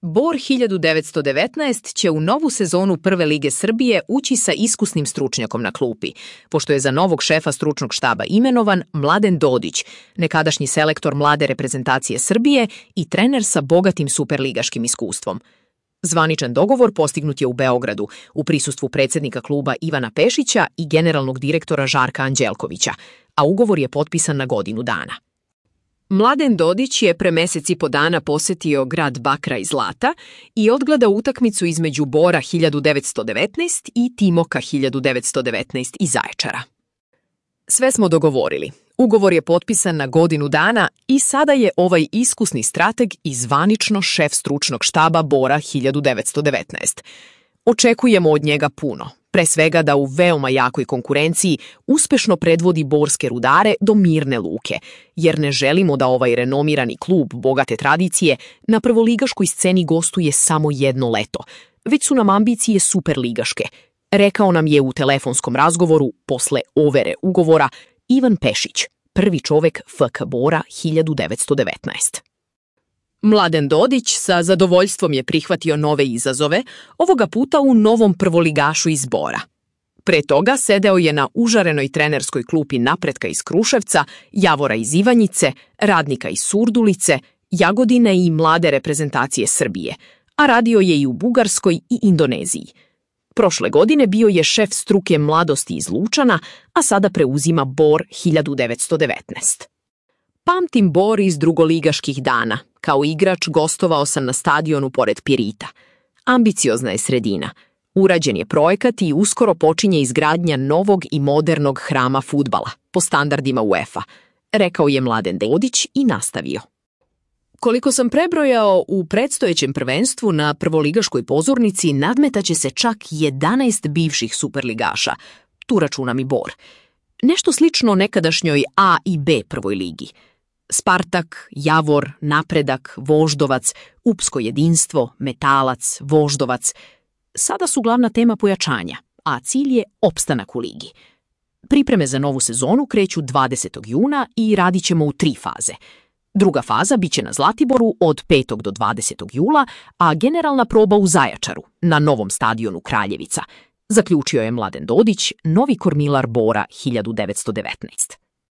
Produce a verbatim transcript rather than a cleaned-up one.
Bor hiljadu devetsto devetnaest će u novu sezonu Prve lige Srbije ući sa iskusnim stručnjakom na klupi, pošto je za novog šefa stručnog štaba imenovan Mladen Dodić, nekadašnji selektor mlade reprezentacije Srbije i trener sa bogatim superligaškim iskustvom. Zvaničan dogovor postignut je u Beogradu, u prisustvu predsjednika kluba Ivana Pešića i generalnog direktora Žarka Anđelkovića, a ugovor je potpisan na godinu dana. Mladen Dodić je pre mesec i po dana posetio grad Bakra i Zlata i odgledao utakmicu između Bora hiljadu devetsto devetnaest i Timoka hiljadu devetsto devetnaest iz Zaječara. Sve smo dogovorili. Ugovor je potpisan na godinu dana i sada je ovaj iskusni strateg i zvanično šef stručnog štaba Bora hiljadu devetsto devetnaest. Očekujemo od njega puno, pre svega da u veoma jakoj konkurenciji uspešno predvodi borske Rudare do mirne luke, jer ne želimo da ovaj renomirani klub bogate tradicije na prvoligaškoj sceni gostuje samo jedno leto, već su nam ambicije superligaške, rekao nam je u telefonskom razgovoru posle overe ugovora Ivan Pešić, prvi čovek F K Bora hiljadu devetsto devetnaest. Mladen Dodić sa zadovoljstvom je prihvatio nove izazove, ovoga puta u novom prvoligašu iz Bora. Pre toga sedeo je na užarenoj trenerskoj klupi Napretka iz Kruševca, Javora iz Ivanjice, Radnika iz Surdulice, Jagodine i mlade reprezentacije Srbije, a radio je i u Bugarskoj i Indoneziji. Prošle godine bio je šef struke mladosti iz Lučana, a sada preuzima Bor hiljadu devetsto devetnaest. Pamtim Bor iz drugoligaških dana. Kao igrač gostovao sam na stadionu pored Pirita. Ambiciozna je sredina. Urađen je projekat i uskoro počinje izgradnja novog i modernog hrama fudbala, po standardima UEFA, rekao je Mladen Dodić i nastavio. Koliko sam prebrojao, u predstojećem prvenstvu na prvoligaškoj pozornici nadmetaće se čak jedanaest bivših superligaša, tu računam i Bor. Nešto slično nekadašnjoj A i B prvoj ligi. Spartak, Javor, Napredak, Voždovac, Upsko jedinstvo, Metalac, Voždovac. Sada su glavna tema pojačanja, a cilj je opstanak u ligi. Pripreme za novu sezonu kreću dvadesetog juna i radit ćemo u tri faze. Druga faza biće na Zlatiboru od petog do dvadesetog jula, a generalna proba u Zaječaru, na novom stadionu Kraljevica, zaključio je Mladen Dodić, novi kormilar Bora hiljadu devetsto devetnaest.